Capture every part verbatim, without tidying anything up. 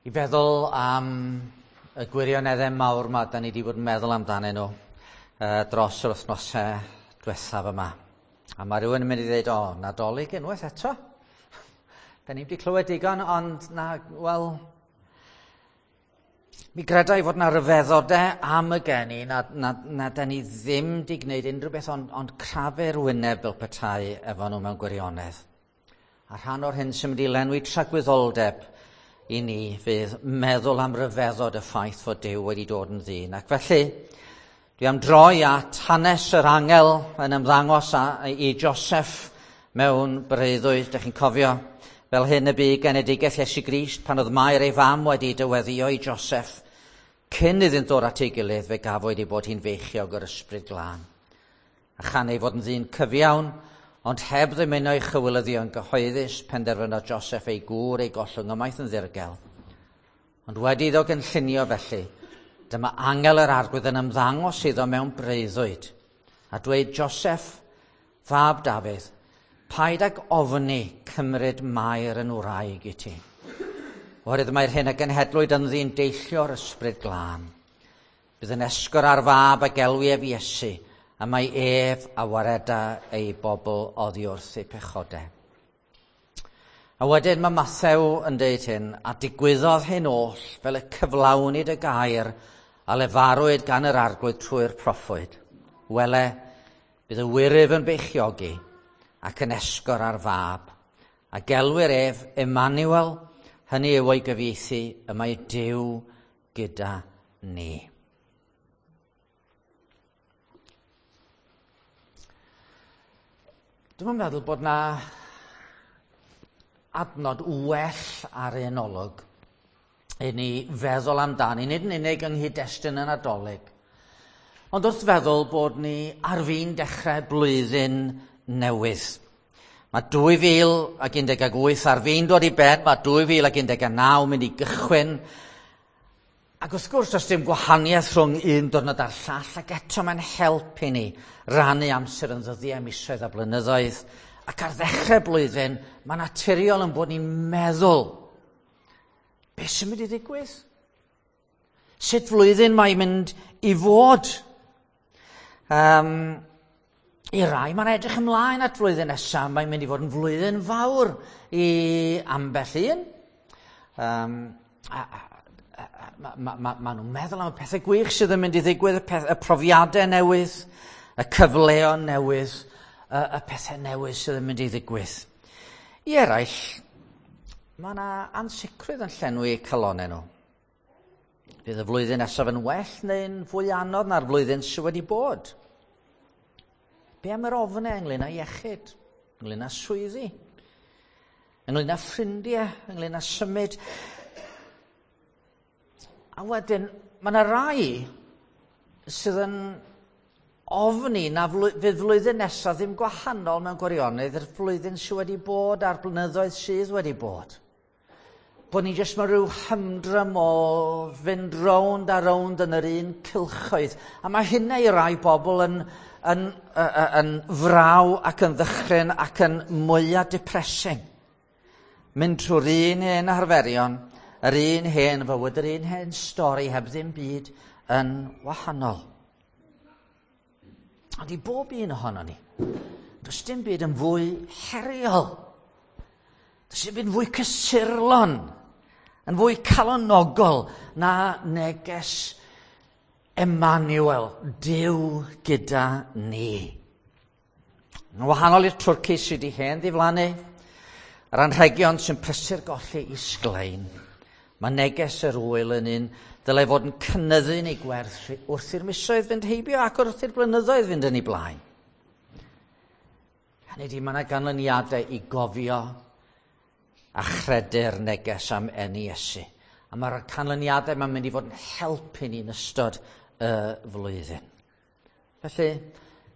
I feddwl am y gwirioneddau mawr yma da ni wedi bod yn meddwl amdanyn nhw uh, dros yr wythnosau diwethaf yma. A mae rhywun yn mynd i ddweud, o, Nadolig unwaith eto. Da ni wedi clywed digon, ond na, wel, mi gredai fod na ryfeddodau am y geni na, na, na da ni ddim wedi gwneud unrhyw beth ond, ond crafu'r wyneb fel petai efo nhw mewn gwirionedd. A rhan o'r hyn sy'n mynd i lenwi tragwyddoldeb i ni fydd meddwl am ryfeddod y ffaith fod Duw wedi dod yn ddyn. Ac felly, dwi am droi at hanes yr angel yn ymddangos a, i Joseph mewn breuddwyd, dych chi'n cofio, fel hyn y bu genedigaeth Iesu Grist pan oedd Mair ei fam wedi dyweddio i Joseph. Cyn iddynt ddod at ei gilydd, fe gafwyd ei bod hi'n feichiog o'r ysbryd glân. A chan ei fod yn ddyn cyfiawn, ond heb ddymuno ei chywilyddio yn gyhoeddus, penderfynodd Joseph ei gŵr ei gollwng ymaith yn ddirgel. Ond wedi iddo gynllunio felly, dyma angel yr arglwydd yn ymddangos iddo mewn breuddwyd, a dweud, Joseph, fab Dafydd, paid ag ofni cymryd Mair yn wraig i ti. Oherwydd mae'r hyn a genhedlwyd ynddi'n deillio'r ysbryd glân. Bydd yn esgor ar fab a gelwi ef Iesu, a mae ef a wareda ei bobl oddi wrth eu pechodau. A wedyn mae Mathew yn deud hyn, a digwyddodd hyn oll fel y cyflawnid y gair a lefarwyd gan yr arglwydd trwy'r proffwyd. Wele, bydd y wyryf yn beichiogi ac yn esgor ar fab, a gelwir ef Emmanuel, hynny yw o'i gyfieithu, y mae Duw gyda ni. Dwi'm yn meddwl bod na adnod well ar un olwg i ni feddwl amdani, nid yn unig yng nghyd-destun y Nadolig, ond wrth feddwl bod ni ar fin dechrau blwyddyn newydd. Mae dwy fil ac un deg wyth ar fin dod i ben, mae dwy fil ac un deg naw mynd i gychwyn. Ac wrth gwrs, does dim gwahaniaeth rhwng un diwrnod a'r llall, ac eto mae'n help i ni rannu amser yn ddyddiau, misoedd a blynyddoedd. Ac ar ddechrau blwyddyn, mae'n naturiol yn bod ni'n meddwl, beth sy'n mynd i ddigwydd? Sut flwyddyn mae'n mynd i fod? Um, I rai, mae'n edrych ymlaen at flwyddyn nesaf, mae'n mynd i fod yn flwyddyn fawr i ambell un. Um, a, a, a, ma, ma, ma nhw'n meddwl am y pethau gwych sydd yn mynd i ddigwydd, y, peth, y profiadau newydd, y cyfleon newydd, y, y pethau newydd sydd yn mynd i ddigwydd. I eraill, mae yna ansicrwydd yn llenwi eu calonnau nhw. Bydd y flwyddyn nesaf yn well neu'n fwy anodd na'r flwyddyn sydd wedi bod. Be am yr ofnau ynglyn â iechyd, ynglyn â swyddi, ynglyn â ffrindiau, ynglyn â symud? A wedyn, mae yna rai sydd yn ofni na fydd flwyddyn nesaf ddim gwahanol mewn gwirionedd i'r flwyddyn sydd wedi bod a'r blynyddoedd sydd wedi bod. Bod ni jyst mewn rhyw hymdrym o fynd rownd a rownd yn yr un cylchoedd. A mae hynna i rai bobl yn, yn, yn, yn fraw ac yn ddychryn ac yn mwyaf depressing. Mynd trwy'r un hen arferion, yr un hen fywyd, yr un hen stori heb ddim byd yn wahanol. Ond i bob un ohono ni, does dim byd yn fwy heriol. Does dim byd yn fwy cysurlon, yn fwy calonogol na neges Emmanuel, Duw gyda ni. Yn wahanol i'r twrci sydd wedi hen ddiflannu, yr anrhegion sy'n prysur golli i sglein, mae neges yr wyl yn un ddylai fod yn cynyddu yn ei gwerth wrth i'r misoedd fynd heibio ac wrth i'r blynyddoedd fynd yn ei blaen. Hynny ydi, mae yna ganlyniadau i gofio a chredu'r neges am eni Iesu. A mae'r canlyniadau mae'n mynd i fod yn helpu ni yn ystod y flwyddyn. Felly,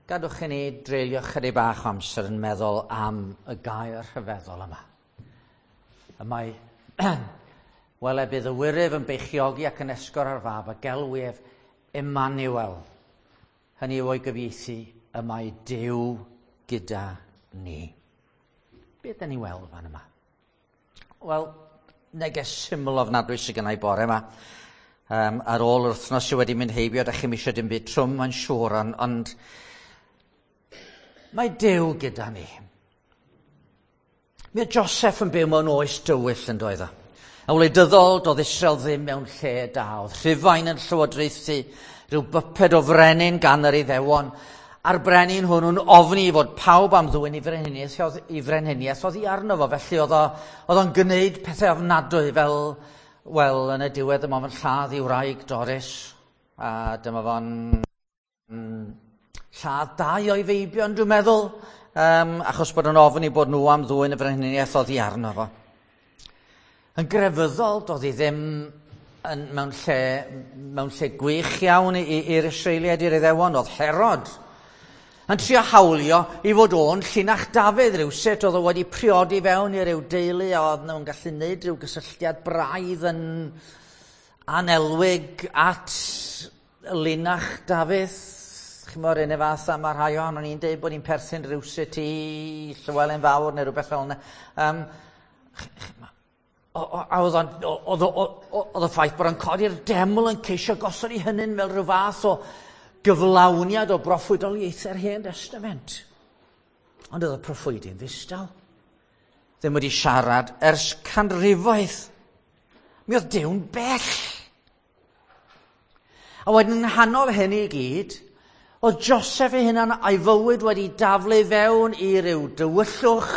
gadwch i ni dreulio chydig bach o amser yn meddwl am y gair rhyfeddol yma. Y mae, wele bydd y wyryf yn beichiogi ac yn esgor ar fab a gelwi ef Emmanuel. Hynny yw o'i gyfieithu, y mae Duw gyda ni. Be ydyn ni weld fan yma? Wel, Neges syml ofnadwy sydd gennau bore yma. Um, ar ôl yr wythnos sydd wedi mynd heibio, da chi'm eisiau dim byd trwm, mae'n siŵr, ond, ond mae Duw gyda ni. Mi oedd Joseph yn byw mewn oes dywyll yn doedd o. Yn wleidyddol, doedd Israel ddim mewn lle da. Oedd Rhufain yn llywodraethu rhyw byped o frenin gan yr Iddewon, a'r brenin hwnnw'n ofni fod pawb am ddwyn i frenhiniaeth, i frenhiniaeth oddi arno fo. Felly oedd o'n gwneud pethau ofnadwy fel, wel, yn y diwedd dyma fo'n lladd i wraig Doris, a dyma fo'n lladd dau o'i feibion, dwi'n meddwl, um, achos bod yn ofni bod nhw am ddwyn y frenhiniaeth oddi arno fo. Yn grefyddol, doedd hi ddim yn, mewn, lle, mewn lle gwych iawn i'r Israeliaid, i'r Iddewon. Oedd Herod yn trio hawlio i fod o'n llinach Dafydd rhywsut, oedd o wedi priodi fewn i ryw deulu a oedd nhw'n gallu gwneud rhyw gysylltiad braidd yn anelwig at linach Dafydd. Chimod, un fath a mae rhai ohonon ni'n deud bod ni'n perthyn rhywsut i Llywelyn Fawr neu rhywbeth fel yna. Um, a oedd oedd y ffaith bod o'n codi'r deml yn ceisio gosod i hynny'n fel rhyw fath o gyflawniad o broffwydoliaethau'r Hen Testament. Ond oedd y proffwydi'n ddistaw. Ddim wedi siarad ers canrifoedd. Mi oedd Duw'n bell. A wedyn yng nghanol hyn i gyd, oedd Joseph ei hunan a'i fywyd wedi daflu fewn i ryw dywyllwch,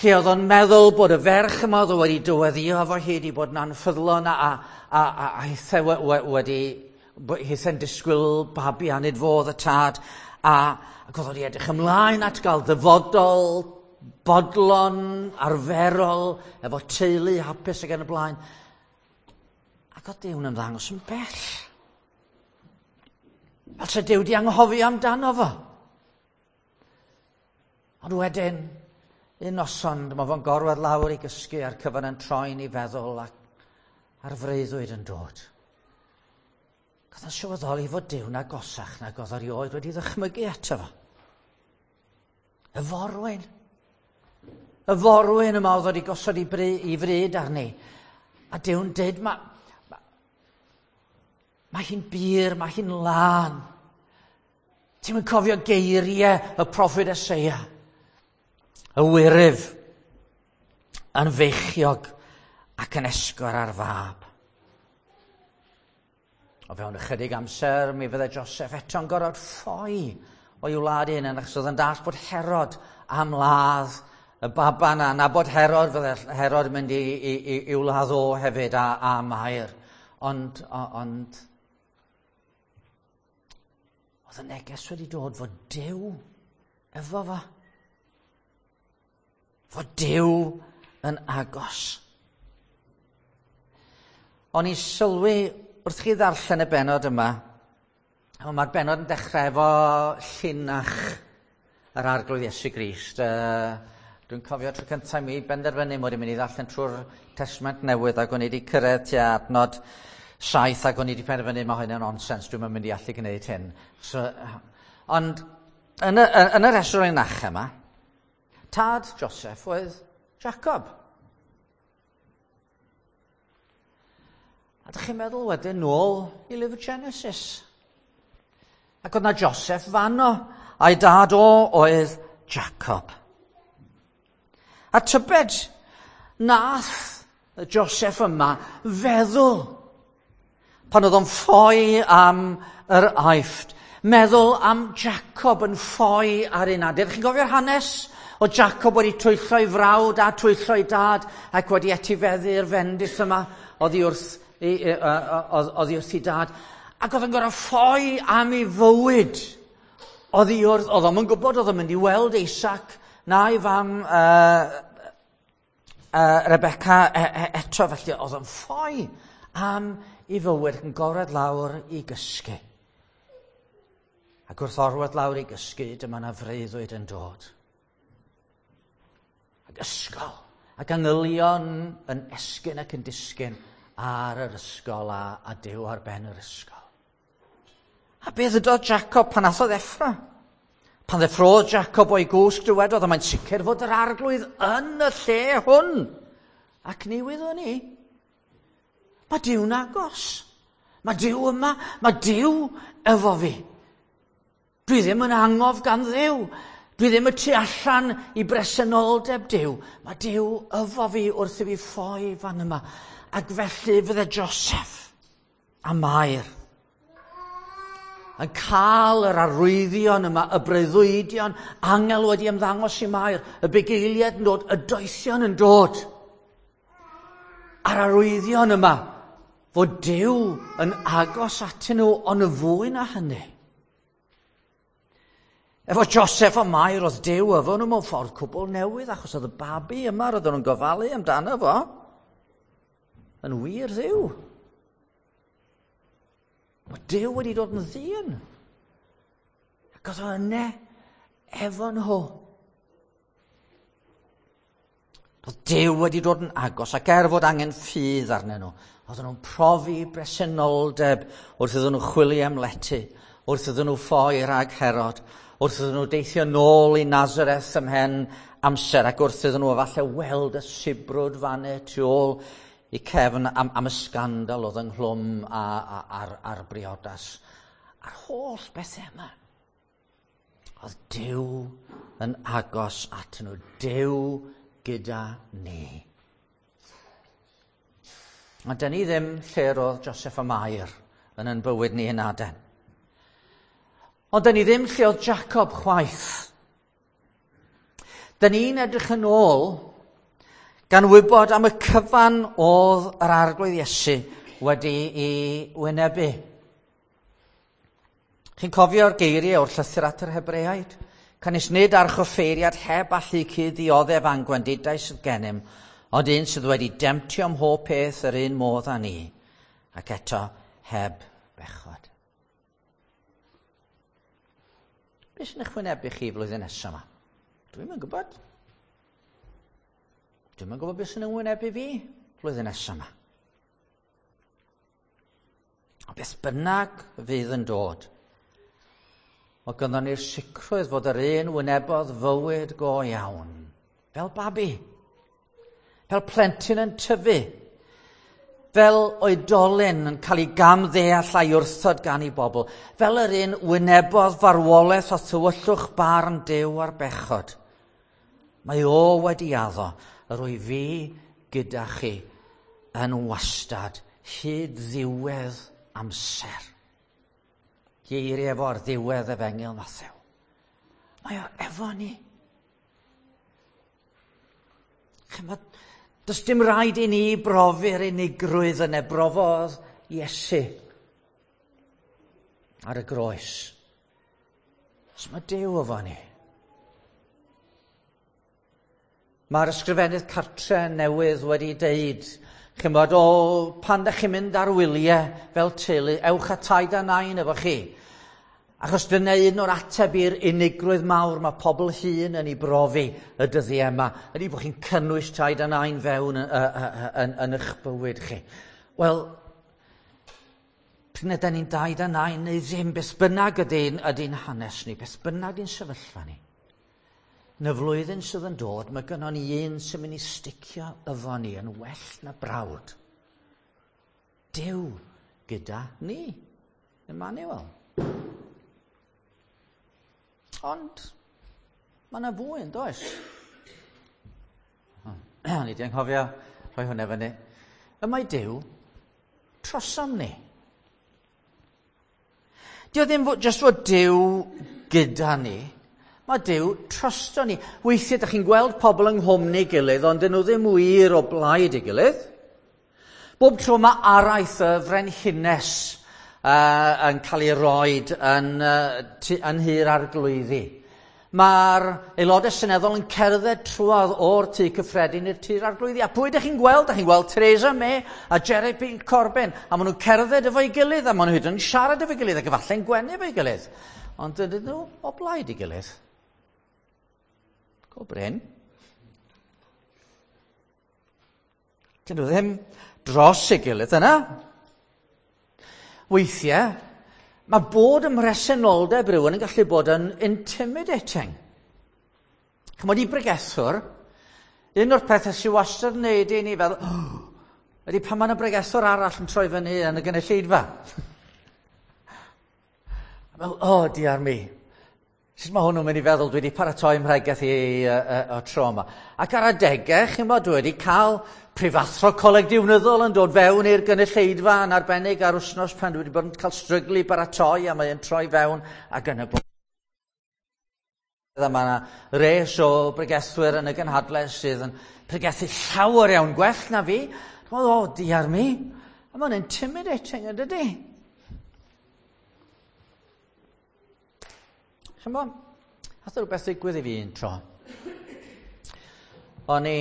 lle oedd o'n meddwl bod y ferch yma oedd o wedi dyweddio efo hi wedi bod yn anffyddlon a, a, a, a, a hithau wedi hithau'n disgwyl babi a nid fo oedd y tad, a, ac oedd wedi edrych ymlaen at gael ddyfodol, bodlon, arferol, efo teulu hapus ac yn y blaen. Ac oedd Duw'n ymddangos yn bell. Fel se Duw di anghofio amdano fo. Ond wedyn, un noson, dyma fo'n gorwedd lawr i gysgu a'r cyfan yn troi'n ei feddwl ac a'r freuddwyd yn dod. Oedd o'n sylweddoli fod Duw'n agosach nag oedd erioed wedi ddychmygu ato fo. Y forwyn. Y forwyn yma oedd wedi gosod i, bry, i fryd arni. A Duw'n dweud, mae ma, ma hi'n bur, mae hi'n lân. Ti'm yn cofio geiriau y proffwyd Eseia? Y wyryf yn feichiog ac yn esgor ar fab. O fewn ychydig amser, mi fydde Joseph eto'n gorfod ffoi o'i wlad ei hunan, achos oedd yn dallt bod Herod am ladd y baban a nabod Herod, fydde Herod yn mynd i, i, i, i'w ladd o hefyd a, a Mair. Ond, ond, oedd y neges wedi dod fod Duw efo fo. Fod Duw yn agos. O'n i'n sylwi wrth chi ddarllen y bennod yma, mae'r bennod yn dechrau efo llinach yr Arglwydd Iesu Grist. Uh, dwi'n cofio tro cyntaf mi benderfynu mod i'n mynd i ddarllen trwy'r Testament Newydd ac o'n i wedi cyrraedd tua adnod saith ac o'n i wedi penderfynu mae hyn yn nonsens, dwi'n mynd i allu gwneud hyn. So, ond yn y, yn y rhestr o'r linach yma, tad Joseph oedd Jacob. A dych chi'n meddwl wedyn nôl i lyfr Genesis. Ac oedd na Joseph fanno, a'i dad o oedd Jacob. A tybed, nath Joseph yma feddwl, pan oedd o'n ffoi am yr Aifft, meddwl am Jacob yn ffoi ar un adeg. Chi'n gofio'r hanes? O Jacob wedi twyllo'i frawd a twyllo'i dad ac wedi etifeddu'r fendith yma oddi wrth oddi wrth ei dad. Ac oedd yn gorfod ffoi am ei fywyd. Oddi wrth, oedd o'm yn gwybod oedd o'n mynd i weld Isaac na'i fam uh, uh, Rebecca e, e, eto. Felly oedd o'n ffoi am ei fywyd yn gorwedd lawr i gysgu. Ac wrth orwedd lawr i gysgu, dyma na freuddwyd yn dod. Ac ysgol, ac angylion yn esgyn ac yn disgyn ar yr ysgol a, a Duw ar ben yr ysgol. A beth ydodd Jacob pan ath o ddeffro? Pan ddeffrodd Jacob o'i gwsg dywedodd, a mae'n sicr fod yr Arglwydd yn y lle hwn. Ac ni wyddwn ni, mae Duw'n agos. Mae Duw yma, mae Duw efo fi. Dwi ddim yn angof gan Dduw. Dwi ddim y tu allan i bresenoldeb Duw. Mae Duw efo fi wrth i fi ffoi fan yma. Ac felly fydde Joseph a Mair yn cael yr arwyddion yma, y breuddwydion, angel wedi ymddangos i Mair, y bugeiliaid yn dod, y doethion yn dod. A'r arwyddion yma, fod Duw yn agos atyn nhw, ond y fwy na hynny. Efo Joseph a Mair, oedd Duw efo nhw mewn ffordd cwbl newydd, achos oedd y babi yma, roedden nhw'n gofalu amdano fo, yn wir Dduw. Mae Duw wedi dod yn ddyn. Ac oedd o yna efo nhw. Oedd Duw wedi dod yn agos, ac er fod angen ffydd arnyn nhw, oedden nhw'n profi bresenoldeb wrth iddyn nhw chwilio am lety, wrth iddyn nhw ffoi rhag Herod, wrth iddyn nhw deithio nôl i Nazareth ymhen amser, ac wrth iddyn nhw efallai weld y sibrwd fanne tu ôl i cefn am, am y sgandal oedd ynghlwm a, a, ar, ar briodas. A'r holl bethau yma. Oedd Duw yn agos at nhw. Duw gyda ni. A dyn ni ddim lle roedd Joseph a Mair yn yn bywyd ni yn aden. Ond dyn ni ddim lle oedd Jacob chwaith. Dyn ni'n edrych yn ôl gan wybod am y cyfan oedd yr Arglwydd Iesu wedi ei wynebu. Chi'n cofio'r geiriau o'r llythyr at yr Hebreaid? Canys nid archoffeiriad heb allu cyd-ddioddef a'n gwendidau sydd gennym, ond un sydd wedi demtio ym mhob peth yr un modd â ni, ac eto heb bechod. Be sy'n eich wynebu chi flwyddyn nesaf yma? Dwi'm yn gwybod. Dwi'm yn gwybod beth sy'n wynebu fi flwyddyn nesaf yma. A beth bynnag fydd yn dod, mae gynnon ni'r sicrwydd fod yr un wynebodd fywyd go iawn, fel babi, fel plentyn yn tyfu, fel oedolyn yn cael ei gamddeall a'i wrthod gan ei bobl, fel yr un wynebodd farwolaeth a thywyllwch barn Duw ar bechod. Mae o wedi addo, yr wyf fi gyda chi yn wastad hyd ddiwedd amser. Geiriau efo ar ddiwedd Efengyl Mathew. Mae o efo ni. Chymod, does dim rhaid i ni brofi'r unigrwydd yna brofodd Iesu ar y groes. Os mae Duw efo ni. Mae'r ysgrifennydd cartre newydd wedi deud, chymod, o, pan da chi'n mynd ar wyliau fel teulu, ewch a taid a nain efo chi. Achos dyna un o'r ateb i'r unigrwydd mawr mae pobl hŷn yn ei brofi y dyddiau yma, ydy bod chi'n cynnwys taid a nain fewn yn, yn, yn, yn eich bywyd chi. Wel, pryd ydan ni'n daid a nain neu ddim, beth bynnag ydy'n ydy hanes ni, beth bynnag ydy'n sefyllfa ni. Yn y flwyddyn sydd yn dod, mae gynnon ni un sy'n mynd i sticio efo ni yn well na brawd. Duw gyda ni, Emmanuel. Ond mae yna fwy yn does? Ni wedi anghofio rhoi hwnna fyny. Y mae Duw trosom ni. Dio ddim jyst fod Duw gyda ni. Mae Duw trosto ni. Weithiau ydych chi'n gweld pobl yng nghwmni gilydd, ond dyn nhw ddim wir o blaid ei gilydd. Bob tro mae araith y frenhines uh, yn cael ei roed yn, uh, yn Nhŷ'r Arglwyddi. Mae'r aelodau seneddol yn cerdded trwodd o'r tŷ cyffredin i'r Tŷ'r Arglwyddi. A pwy ydych chi'n gweld? Ydych chi'n gweld Theresa May a Jeremy Corbyn. A maen nhw'n cerdded efo'i gilydd, a maen nhw hyd yn siarad efo'i gilydd, ac efallai'n gwenu efo'i gilydd. Ond dydyn nhw o blaid ei gilydd. Go brin. Dyn nhw ddim dros ei gilydd yna. Weithiau, mae bod ym mhresenoldeb rhywun yn gallu bod yn intimidating. Chymod, i bregethwr, Un o'r pethau sy'n wastad yn neud i ni fel, oh, ydy pan mae yna bregethwr arall yn troi fyny yn y gynulleidfa. A fel, o, oh, diar mi. Sut mae hwnnw'n mynd i feddwl dwi wedi paratoi mhregeth i o tro yma. Ac ar adegau, chi'n bod, dwi wedi cael prifathro coleg diwnyddol yn dod fewn i'r gynulleidfa yn arbennig ar wythnos pan dwi wedi bod yn cael stryglu i baratoi a mae'n troi fewn ac yn y blaen. Mae yna res o bregethwyr yn y gynhadledd sydd yn pregethu llawer iawn gwell na fi. O, oh, diar mi. A mae'n intimidating, yn dydy? Chymod, nath rhywbeth ddigwydd i fi un tro. O'n i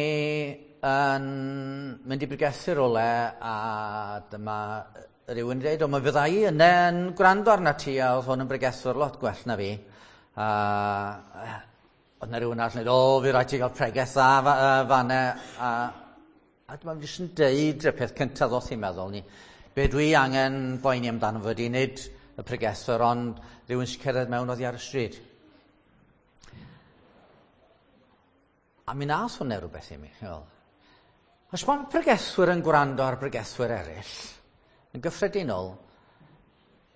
yn mynd i bregethu rywle a dyma rhywun yn dweud, o, mae fydda i yna yn gwrando arna ti, a oedd hwn yn bregethwr lot gwell na fi. A oedd yna rhywun arall yn dweud, o, fi rhaid ti gael pregeth dda fan'na. A, a dyma fi jyst yn deud y peth cyntaf ddoth i'n meddwl ni. Be dwi angen boeni amdano fo ydi nid y pregethwr, ond rhywun sy'n cerdded mewn oddi ar y stryd. A mi nath hwnna rhywbeth i mi. Os mae pregethwyr yn gwrando ar bregethwyr eraill, yn gyffredinol,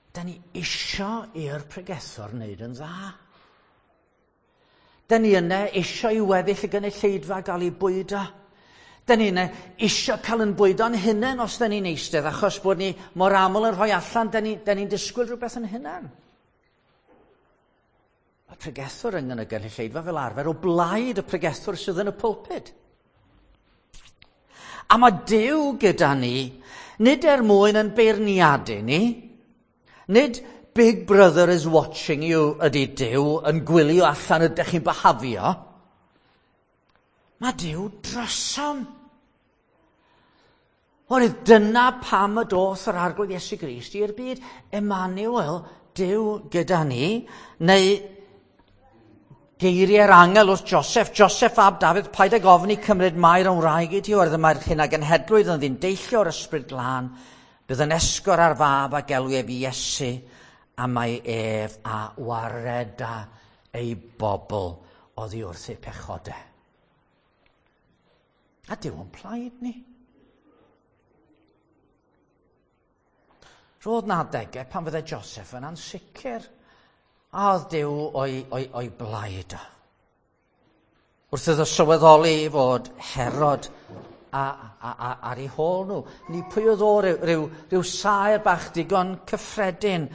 da ni isio i'r pregethwr wneud yn dda. Da ni yna isio i weddill y gynulleidfa gael ei bwydo. Da ni yna isio cael yn bwydo'n hunain os da ni'n eistedd, achos bod ni mor aml yn rhoi allan, da ni'n ni disgwyl rhywbeth yn hunain. Mae pregethwr yn y gynulleidfa fel arfer o blaid y pregethwr sydd yn y pulpud. A mae Duw gyda ni, nid er mwyn yn beirniadu ni, nid Big Brother is watching you ydy Duw yn gwylio allan ydych chi'n byhafio. Mae Duw drosom. Oherwydd dyna pam y doth yr Arglwydd Iesu Grist i'r byd. Emmanuel, Duw gyda ni, neu geiriau'r angel wrth Joseph, Joseph ab Dafydd, paid ag ofni cymryd Mair yn wraig i ti, oherwydd mae'r hyn a genhedlwyd yn ddyn deillio o'r ysbryd glân, bydd yn esgor ar fab a gelw ef Iesu, a mae ef a wareda ei bobl oddi wrth eu pechodau. A Duw yn plaid ni. Roedd na adegau pan fydde Joseph yn ansicr, a oedd Duw o'i, o'i, o'i blaid o. Wrth iddo sylweddoli fod Herod a, a, a, ar ei hôl nhw. Ni pwy oedd o ryw, ryw, ryw saer bach digon cyffredin.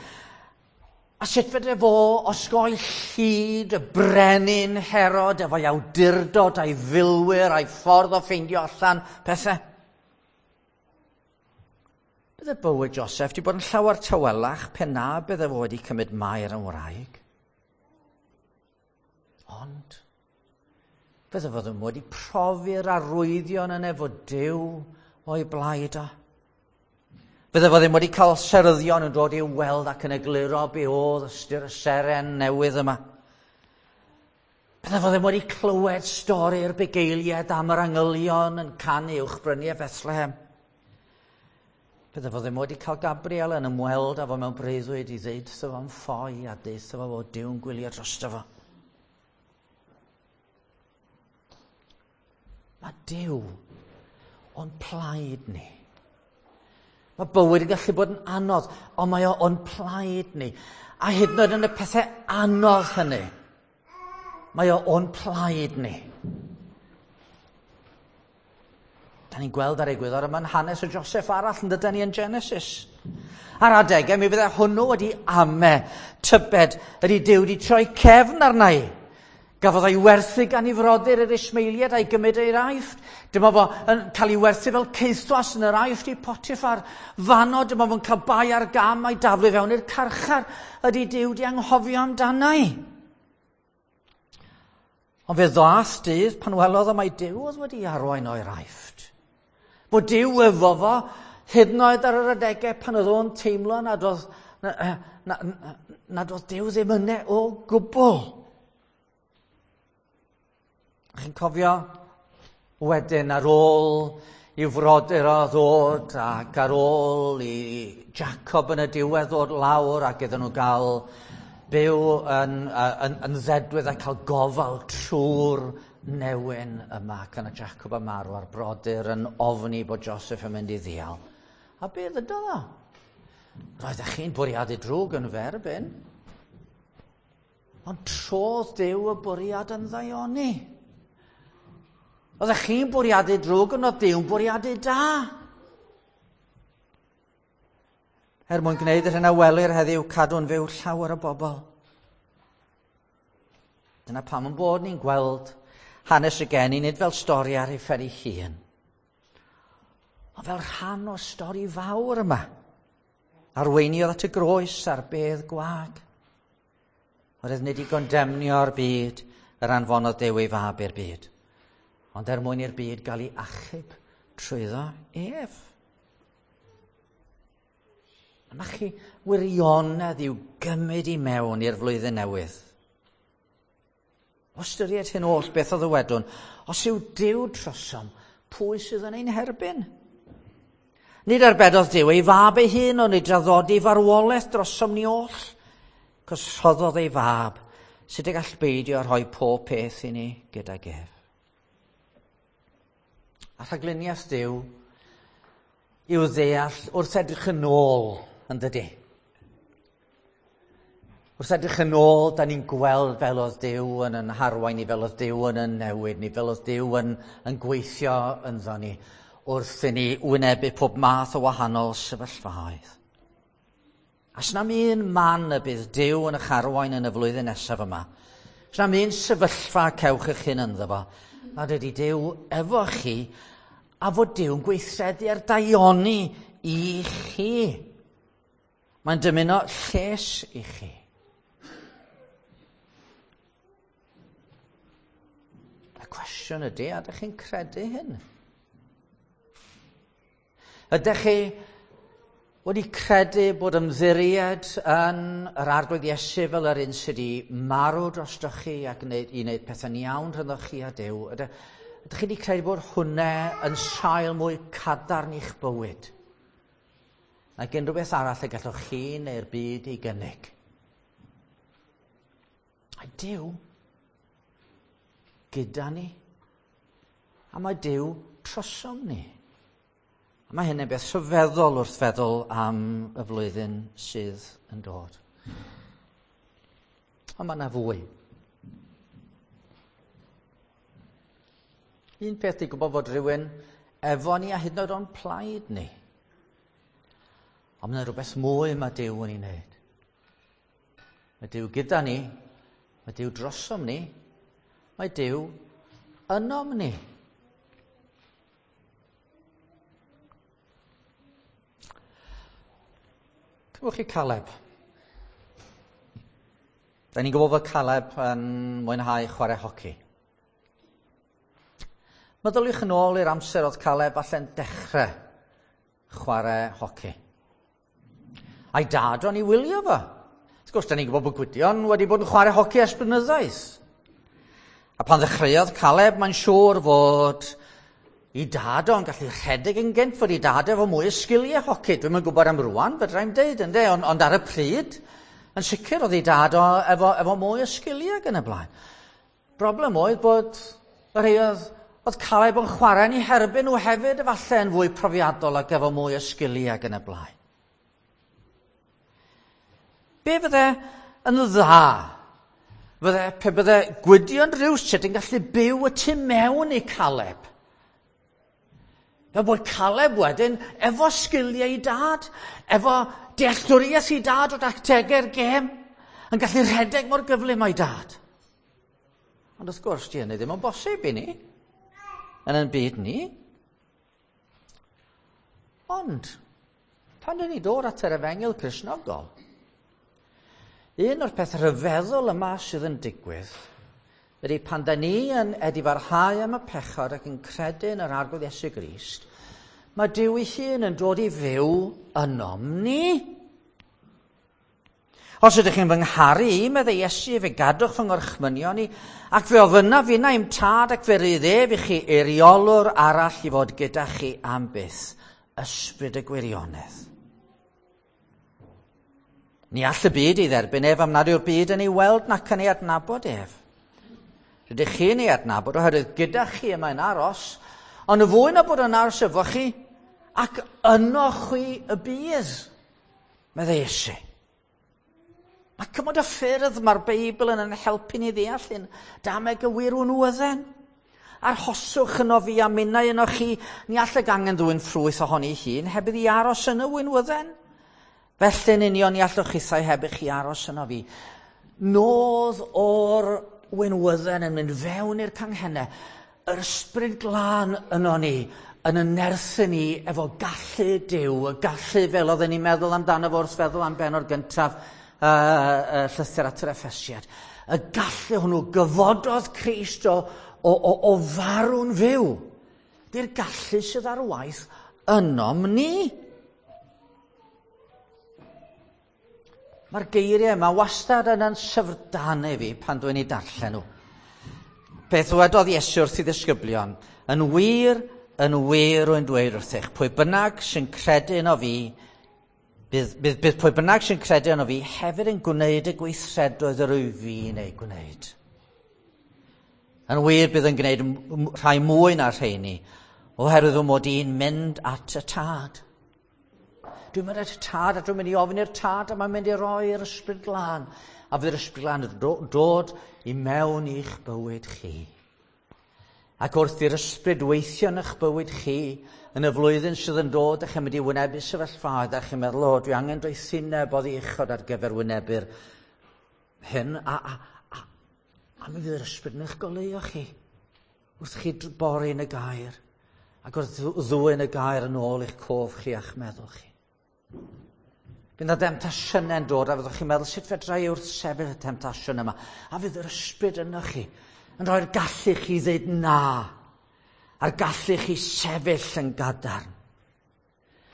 A sut fedre fo osgoi llid y brenin Herod efo'i awdurdod a'i filwyr a'i ffordd o ffeindio allan pethau. Bydde bywyd Joseph wedi bod yn llawer tawelach pe na bydde fo wedi cymryd Mair yn wraig. Ond bydde fo ddim wedi profi'r arwyddion yna fod Duw o'i blaid o. Bydde fo ddim wedi cael seryddion yn dod i'w weld ac yn egluro be oedd ystyr y seren newydd yma. Bydde fo ddim wedi clywed stori'r bugeiliaid am yr angylion yn canu uwchbryniau Bethlehem. Bydde fo ddim wedi cael Gabriel yn ymweld â fo mewn breuddwyd i ddeud wrtho fo'n ffoi a deud wrtho fo fod Duw'n gwylio drosto fo. Mae Duw o'n plaid ni. Mae bywyd yn gallu bod yn anodd, ond mae o o'n plaid ni. A hyd yn oed yn y pethau anodd hynny, mae o o'n plaid ni. Da ni'n gweld ar egwyddor yma'n hanes o Joseph arall yn dydyn ni yn Genesis. Ar adegau mi fydde hwnnw wedi ame, tybed, ydy Duw wedi troi cefn arna i. Gafodd o'i werthu gan ei frodyr yr Ismaeliaid a'i gymryd i'r Aifft. Dyma fo yn cael ei werthu fel caethwas yn yr Aifft i Potiphar. Fanno, dyma fo'n cael bai ar gam a'i daflu fewn i'r carchar. Ydy Duw wedi anghofio amdana i. Ond fe ddaeth dydd pan welodd o mai Duw oedd wedi arwain o'r Aifft. Bod Duw efo fo, hyd yn oed ar yr adegau pan oedd o'n teimlo nad oedd, na, na, na, nad oedd Duw ddim yna o gwbl. Chi'n cofio wedyn ar ôl i'w frodyr o ddod ac ar ôl i Jacob yn y diwedd ddod lawr ac iddyn nhw gael byw yn, yn, yn ddedwydd a cael gofal trwy'r newyn yma ac yna Jacob yn marw a'r brodyr yn ofni bod Joseph yn mynd i ddial. A be ddydodd o? Roeddech chi'n bwriadu drwg yn ferbyn. Ond trodd Duw y bwriad yn ddaioni. Oeddech chi'n bwriadu drwg, ond oedd Duw'n bwriadu da. Er mwyn gwneud yr hyn a welir heddiw, cadw'n fyw llawer o bobl. Dyna pam yn bod ni'n gweld hanes y geni, nid fel stori ar ei phen ei hun, ond fel rhan o stori fawr yma. Arweiniodd at y groes a'r bedd gwag. Oedd nid i gondemnio'r byd yr anfonodd Duw ei fab i'r byd, ond er mwyn i'r byd gael ei achub trwyddo ef. Yma chi wirionedd i'w gymryd i mewn i'r flwyddyn newydd. O ystyried hyn oll beth o ddywedwn, os yw Duw trosom, pwy sydd yn ein herbyn? Nid arbedodd Duw ei fab ei hun, ond ei draddodi farwolaeth drosom ni oll, cos rhoddodd ei fab, sut y gall beidio rhoi pob peth i ni gydag ef. A rhagluniaeth Duw yw ddeall wrth edrych yn ôl, yn dydy. Wrth edrych yn ôl, da ni'n gweld fel oedd Duw yn yn harwain ni, fel oedd Duw yn yn newid ni, fel oedd Duw yn, yn gweithio ynddo ni, wrth i ni wynebu pob math o wahanol sefyllfaoedd. A sna'm un man y bydd Duw yn eich arwain yn y flwyddyn nesaf yma. Sna'm un sefyllfa cewch eich hun ynddo fo, nad ydy Duw efo chi, a fod Duw'n gweithredu ar daioni i chi. Mae'n dymuno lles i chi. Y cwestiwn ydy, a ydych chi'n credu hyn? Ydych chi wedi credu bod ymddiried yn yr Arglwydd Iesu fel yr un sydd wedi marw drostoch chi ac wneud, i wneud pethau'n iawn rhyngddoch chi a Duw? Ydych, ydych chi wedi credu bod hwnna yn sail mwy cadarn i'ch bywyd nag unrhyw beth arall y gallwch chi neu'r byd ei gynnig? A Duw gyda ni, a mae Duw trosom ni. A mae hynny'n beth rhyfeddol wrth feddwl am y flwyddyn sydd yn dod. Ond mae yna fwy. Un peth i gwybod fod rhywun efo ni a hyd yn oed o'n plaid ni. Ond mae yna rhywbeth mwy mae Duw yn ei wneud. Mae Duw gyda ni, mae Duw drosom ni, mae Duw ynom ni. Cymwch chi Caleb. Da ni'n gwybod fod Caleb yn mwynhau chwarae hoci. Meddyliwch yn ôl i'r amser oedd Caleb allan dechrau chwarae hoci. A'i dad o'n i wylio fo. Wrth gwrs, da ni'n gwybod bod Gwydion wedi bod yn chwarae hoci ers blynyddoedd. A pan ddechreuodd Caleb, mae'n siŵr fod i dad o'n gallu rhedeg yn gynt, fod i dad efo mwy o sgiliau hoci. Dwi'm yn gwybod am rwan, fedra i'm deud, ynde, ond, ond ar y pryd, yn sicr oedd i dad o efo, efo mwy o sgiliau ac yn y blaen. Broblem oedd bod y rhai oedd, oedd Caleb yn chwarae yn ei herbyn nhw hefyd efallai yn fwy profiadol ac efo mwy o sgiliau ac yn y blaen. Be fydde yn dda? Fydde, pe bydde Gwydion rywsut yn gallu byw y tu mewn i Caleb. Fel bod Caleb wedyn efo sgiliau i dad, efo dealltwriaeth i dad o dactegau'r gêm, yn gallu rhedeg mor gyflym o'i dad. Ond wrth gwrs, di hynny ddim yn bosib i ni, yn ein byd ni. Ond, pan dyn ni dod at yr efengyl Cristnogol, un o'r peth rhyfeddol yma sydd yn digwydd ydy pan da ni yn edifarhau am y pechod ac yn credu yn yr Arglwydd Iesu Grist, mae Duw ei hun yn dod i fyw ynom ni. Os ydych chi'n fy ngharu i, meddai Iesu, fe gadwch fy ngorchmynion i, ac fe ofynnaf finna i'm tad ac fe rydd ef i chi eiriolwr arall i fod gyda chi am byth, ysbryd y gwirionedd. Ni all y byd ei dderbyn ef am nad yw'r byd yn ei weld nac yn ei adnabod ef. Rydych chi'n ei adnabod oherwydd gyda chi y mae'n aros, ond y fwy na bod yn aros efo chi, ac yno chwi y bydd, meddai Iesu. Mae cymaint o ffyrdd mae'r Beibl yn yn helpu ni ddeall hyn. Dameg y wir winwydden. Arhoswch yno fi a minnau yno chi, ni all y gangen ddwyn ffrwyth ohoni hun, heb iddi aros yn y winwydden. Felly'n union ni allwch chithau heb i chi aros yno fi. Nodd o'r winwydden yn mynd fewn i'r canghennau, yr ysbryd glân yno ni, yn y nerthu ni efo gallu Duw, y gallu fel oedden ni'n meddwl amdano fo wrth feddwl am bennod gyntaf uh, uh, llythyr at yr Effesiad. Y gallu hwnnw gyfododd Crist o, o, o, o farw'n fyw. Di'r gallu sydd ar waith ynom ni. Mae'r geiriau yma wastad yn yn syfrdanu fi pan dwi'n ei darllen nhw. Beth ddywedodd Iesu wrth ei ddisgyblion, yn wir, yn wir rwy'n dweud wrthych, pwy bynnag sy'n credu yno fi, bydd, bydd, bydd pwy bynnag sy'n credu yno fi hefyd yn gwneud y gweithredoedd yr wyf fi'n ei gwneud. Yn wir bydd yn gwneud rhai mwy na'r rheini, oherwydd fy mod i'n mynd at y Tad. Dwi'n mynd at y Tad a dwi'n mynd i ofyn i'r Tad a mae'n mynd i roi'r Ysbryd Glân. A fydd yr Ysbryd Glân yn dod i mewn i'ch bywyd chi. Ac wrth i'r Ysbryd weithio yn eich bywyd chi, yn y flwyddyn sydd yn dod, ych chi'n mynd i wynebu sefyllfaoedd, a chi'n meddwl, o, dwi angen doethineb oddi uchod ar gyfer wynebu'r hyn, a, a, a, a mi fydd yr Ysbryd yn eich goleuo chi, wrth chi bori yn y gair, ac wrth ddwyn y gair yn ôl i'ch cof chi a'ch meddwl chi. Bydd yna demtasiynau'n dod a fyddwch chi'n meddwl, sut fedra i wrth sefyll y temtasiwn yma? A fydd yr Ysbryd yno chi yn rhoi'r gallu chi ddeud na, a'r gallu chi sefyll yn gadarn.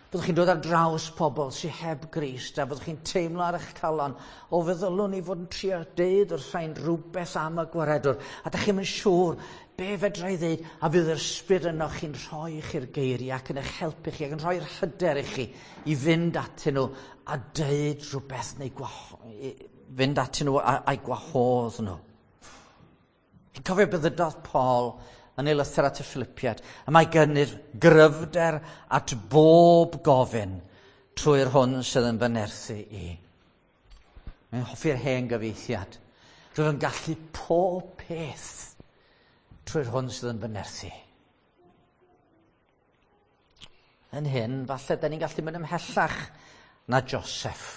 Byddwch chi'n dod ar draws pobl sydd heb Grist, a byddwch chi'n teimlo ar eich calon, o feddylwn i fod yn trio deud wrth rhain rhywbeth am y gwaredwr, a dach chi'm yn siŵr be fedra i ddeud, a fydd yr Ysbryd yno chi'n rhoi chi'r geiriau ac yn eich helpu chi ac yn rhoi'r hyder i chi i fynd atyn nhw a deud rhywbeth neu gwaho- fynd atyn nhw a'i gwahodd nhw. Chi'n cofio beth ddydodd Paul yn ei lythyr at y Philippiad, a mae gynnydd gryfder at bob gofyn trwy'r hwn sydd yn fy nerthu i. Mae'n hoffi'r hen gyfieithiad. Rwyf yn gallu pob peth trwy'r hwn sydd yn fy nerthu. Yn hyn, falle, da ni'n gallu mynd ymhellach na Joseph.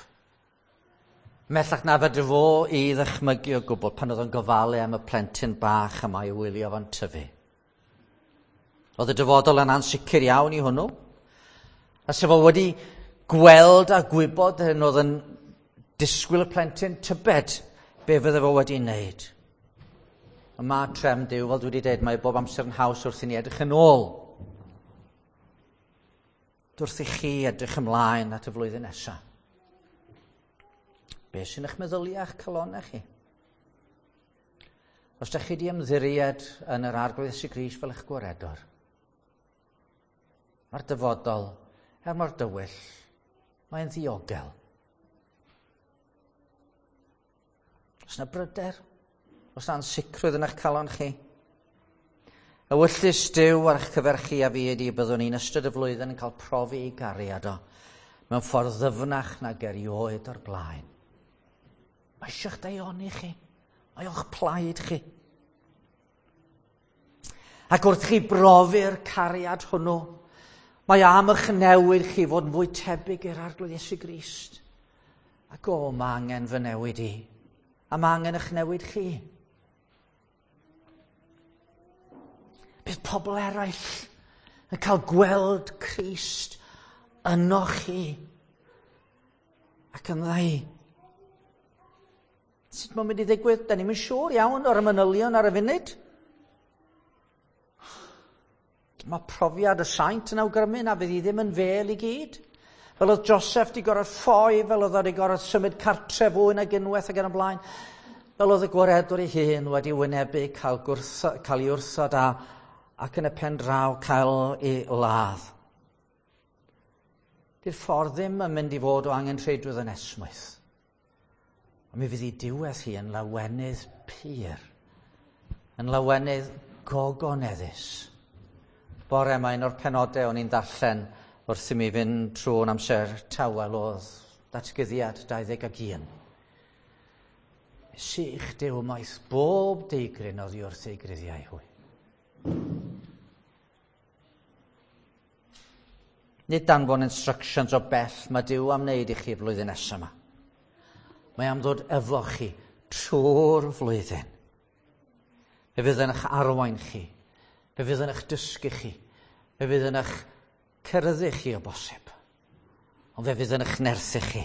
Ymhellach na fedr fo i ddychmygu o gwbl pan oedd o'n gofalu am y plentyn bach yma i wylio fo'n tyfu. Oedd y dyfodol yn ansicr iawn i hwnnw. A sef o wedi gweld a gwybod hyn oedd yn disgwyl y plentyn tybed be fydde fo wedi wneud. Y mae trefn Duw, fel dwi wedi dweud, mae bob amser yn haws wrth i ni edrych yn ôl. Wrth i chi edrych ymlaen at y flwyddyn nesaf. Be sy'n eich meddyliau a'ch calonau chi? Os ydych chi wedi ymddiried yn yr Arglwydd Iesu Grist fel eich gwaredwr, mae'r dyfodol, er mor dywyll, mae'n ddiogel. Os yna bryder, os yna ansicrwydd yn eich calon chi, ewyllys Duw ar eich cyfer chi a fi ydi byddwn ni'n ystod y flwyddyn yn cael profi ei gariad o mewn ffordd ddyfnach nag erioed o'r blaen. Mae eisiau'ch daioni chi. Mae o'ch plaid chi. Ac wrth chi brofi'r cariad hwnnw, mae am eich newid chi fod yn fwy tebyg i'r Arglwydd Iesu Grist. Ac o, mae angen fy newid i. A mae angen eich newid chi. Bydd pobl eraill yn cael gweld Crist yno chi ac ynddo i. Sut mae'n mynd i ddigwydd? Da ni'm yn siŵr iawn o'r manylion ar y funud. Mae profiad y saint yn awgrymu na fydd hi ddim yn fel i gyd. Fel oedd Joseph di gorfod ffoi, fel oedd wedi gorfod symud cartref fwy nag unwaith ac yn y blaen. Fel oedd y gwaredwr ei hun wedi wynebu cael, gwrtho, cael ei wrthod a, ac yn y pen draw cael ei ladd. Di'r ffordd ddim yn mynd i fod o angenrheidrwydd yn esmwyth. A mi fydd ei diwedd hi yn lawenydd pur Yn lawenydd gogoneddus. Bore yma un o'r penodau o'n i'n darllen wrth i mi fynd trwy'n amser tawel oedd Datguddiad dau ddeg ac un. Sych Duw maith bob deigryn oddi wrth ei gruddiau hwy. Nid danfon instructions o bell mae Duw am wneud i chi flwyddyn nesaf yma. Mae am ddod efo chi trwy'r flwyddyn. Fe fydd yn eich arwain chi. Fe fydd yn eich dysgu chi. Fe fydd yn eich ceryddu chi o bosib. Ond fe fydd yn eich nerthu chi.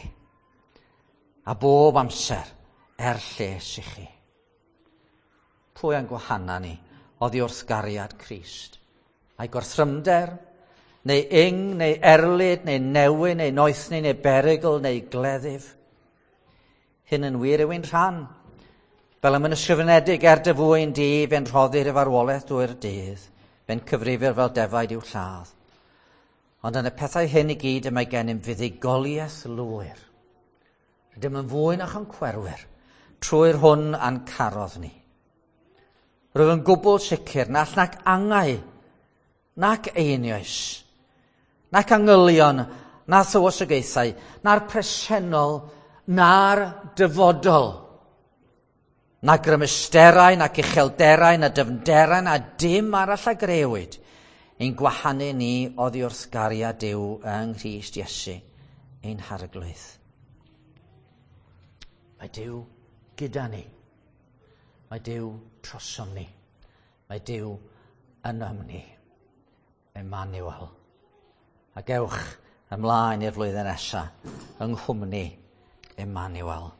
A bob amser er lles i chi. Pwy a'n gwahana ni oddi wrth gariad Crist? A'i gorthrymder, neu ing, neu erlid, neu newyn, neu noethni, neu berygl, neu gleddyf. Hyn yn wir yw'n rhan. Fel ym yn ysgrifenedig, er dy fwyn di, fe'n rhoddir i farwolaeth drwy'r dydd, fe'n cyfrifir fel defaid i'w lladd. Ond yn y pethau hyn i gyd y mae gennym fuddugoliaeth lwyr. Rydym yn fwy na choncwerwyr, trwy'r hwn a'n carodd ni. Rwyf yn gwbl sicr na all nac angau, nac einioes, nac angylion, na thywysogaethau, na'r presennol, na'r dyfodol, na grymusterau, nac uchelderau, na dyfnderau, na dim arall a grëwyd, ein gwahanu ni oddi wrth gariad Duw yng Nghrist Iesu, ein Harglwydd. Mae Duw gyda ni. Mae Duw trosom ni. Mae Duw ynom ni. Emmanuel. A gewch ymlaen i'r flwyddyn nesaf yng nghwmni Emmanuel.